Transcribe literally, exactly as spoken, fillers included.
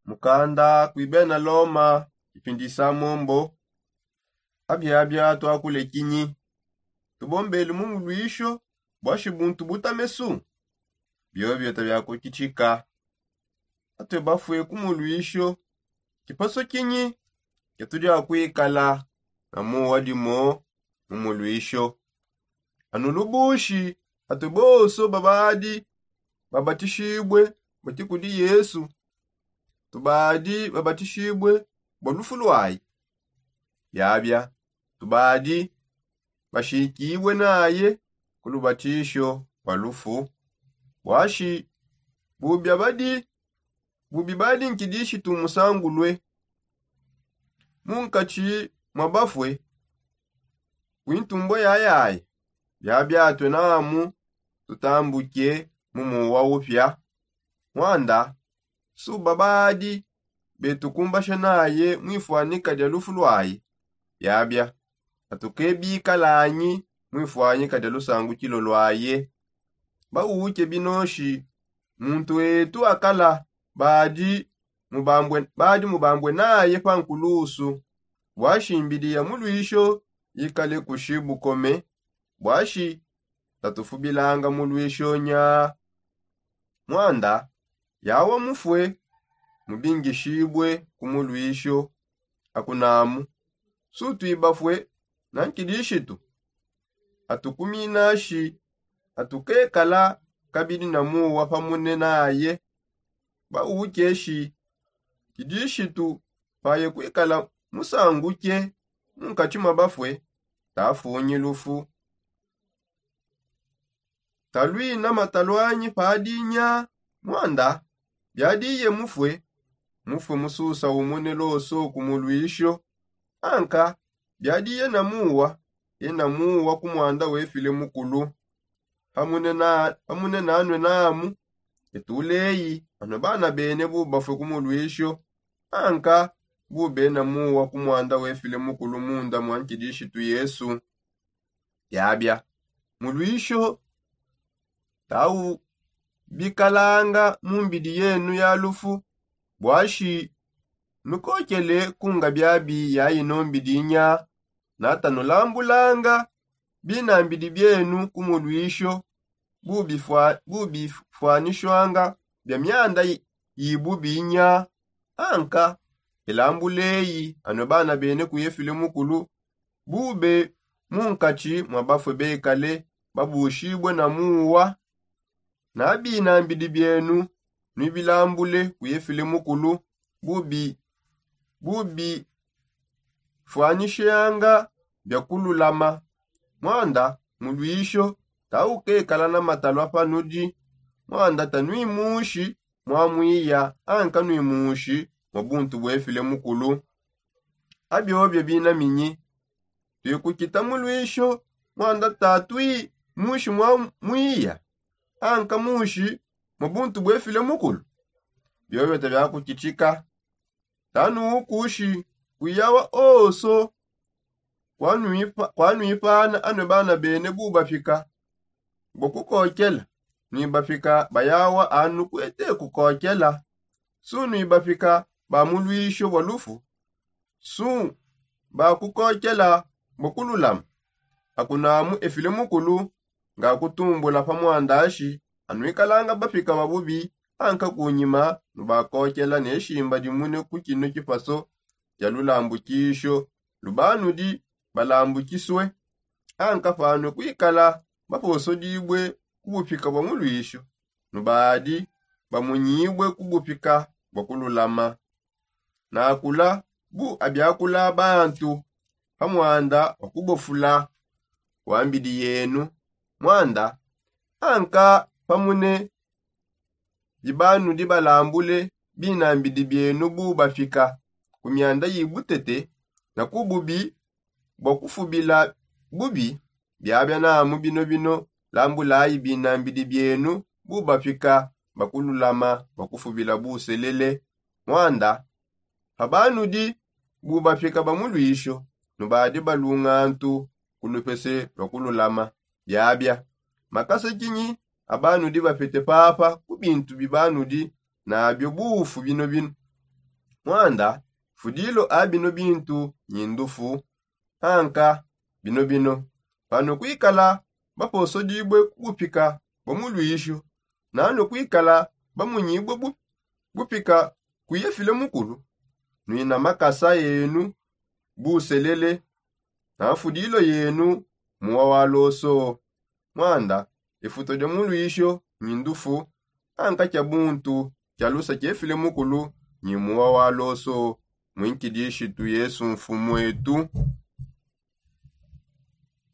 Mukanda kui bena loma, ipindisa mombo. Abiabia tuakule kinyi? Tubombele mu muluisho bua shibuntu butamesu? Biobio tabiakukitshika. Atue bafue ku muluisho, kipaso kinyi kiatudi akuikala na muwa dimo mu muluisho? Anu lubushi, atue bonso babadi babatishibue bati kudi Yesu, tubadi babatishibue bua lufu luaye? Biabia, tubadi bashikibue naye ku lubatisho bua lufu. Buashi bubi abadi bubi badi nkidishitu musangulue munkatshi mua bafue kuintumbua yayaye. Biabiatue namu tutambuke mu muwa upia. Muanda suba badi betukumbasha naye muifuanyika dia lufu luaye. Biabia atukebikalanyi muifuanyika dia lusangukilo luaye. Bauke binoshi muntu etu akala badi mubambue naye pa nkulusu. Buashi mbidi ya muluisho ikale kushi bukome. Buashi tatufubilanga muluisho nya? Muanda yawa mufue mubingishibue ku muluisho. Akunamu sutuibafue na nkidishitu atukuminashi atukekala kabidi na muwa pamune naye. Baukeshi kidishitu paye kuikala musanguke munkatshi mua bafue tafunyi lufu. Taluina mataluanyi padinya? Muanda biadiye mufue mufue mususa umune loso ku muluisho. Anka biadiye na muwa ena muwa ku muanda wefile mukulu. Pamune nanue namu etuleyi anue bana bene bubafue ku muluisho anka bubena muwa ku muanda wefile mukulu munda mua nkidishitu yesu. Biabia muluisho tau bikalanga mu mbidi yenu ya lufu. Buashi nukokele kunga biabi ya ino mbidi nya? Natanulambulanga binambidi bienu ku muluisho bubifuanishwanga bia mianda yibubi nya? Anka elambuleyi anue bana bene ku yefile mukulu bube munkatshi mua bafue bekale babushibue na muwa. Na binambidi bienu nuibilambule ku yefile mukulu bubifuanishanga bia kululama. Muanda muluisho taukekala na matalua panudi. Muanda tanuimushi mua muiya anka nuimushi mua buntu buefile mukulu. Abiobio binaminyi tuikukita muluisho muanda tatui mushi mua muiya anka mushi mua buntu buefile mukulu? Biobio tabiakukitshika. Tanuukushi kuyawa oso kuanuipana anue bana bene bubapika bua kukokela. Nuibapika bayawa anu kuete kukokela. Sunuibapika ba muluisho bua lufu. Su bakukokela bua kululama. Akunamu efile mukulu ngakutumbula pa muandashi anuikalanga bapika ba bubi anka kunyima nubakokela ne shimba dimune ku kinu kipaso kia lulambukisho lubanudi balambukisue. Anka panue kuikala baposodibue ku bupika bua muluisho nubadi bamunyibue ku bupika bua kululama. Nakula bu abiakula bantu pa muanda wa kubofula wa mbidi yenu. Muanda anka pamune bibanudi balambule binambidi bienu bu bapika ku mianda yi butete na ku bubi bua kufubila bubi. Biabia namu binobino lambulayi binambidi bienu bu bapika ba kululama bua kufubila buselele. Muanda pa banudi bu bapika ba muluisho nubadi balungantu ku lupese lua kululama. Biabia makasa kinyi abanudi bapete papa ku bintu bibanudi nabio bufu binobino? Mwanda, fudilo a bino bintu nyindufu, anka bino bino, pano kwikala baposodibue ku bupika bua muluisho, nano kwikala bamunyibue bupika ku yefile mukulu, nwina makasa enu buselele na fudilo yenu muwa wa loso. Mwanda, ifuto dia muluisho nyindufu, anka kia buntu kialusa kiefile mukulu nyi muwa wa loso. Mwinkidishitu yesu mfumu etu.